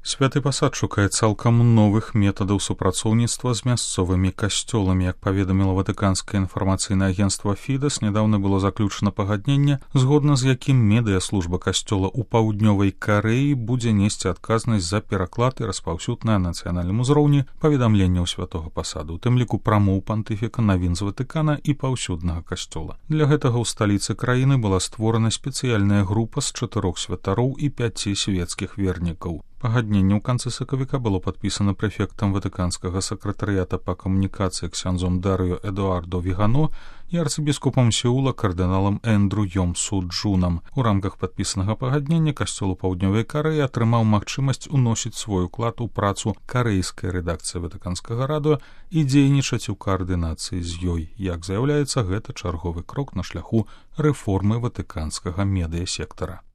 Святы пасад шукае цалкам новых метадаў супрацоўніцтва з мясцовымі касцёламі. Як паведаміла ватыканскае інфармацыйнае агенцтва Фідес, нядаўна было заключана пагадненне, згодна з якім медыяслужба касцёла ў паўднёвай Карэі будзе несці адказнасць за пераклад і распаўсюд на нацыянальным узроўні паведамленняў святога пасаду, у тым ліку прамоў пантыфіка, навін з Ватыкана і паўсюднага касцёла. Для гэтага ў сталіцы краіны была створана спецыяльная група з 4 святароў і 5 свецкіх вернікаў. Пагадненне ў канцы сакавіка было падпісана прэфектам ватыканскага сакратарыята па камунікацыі ксяндзом Дарыё Эдуардо Вігано і арцыбіскупам Сеула кардыналам Эндру Йомсу Джунам. У рамках падпісанага пагаднення касцёл у паўднёвай Карэі атрымаў магчымасць уносіць свой уклад у працу карэйскай рэдакцыі ватыканскага радыё і дзейнічаць у каардынацыі з ёй. Як заяўляецца, гэта чарговы крок на шляху рэформы ватыканскага медыясектара.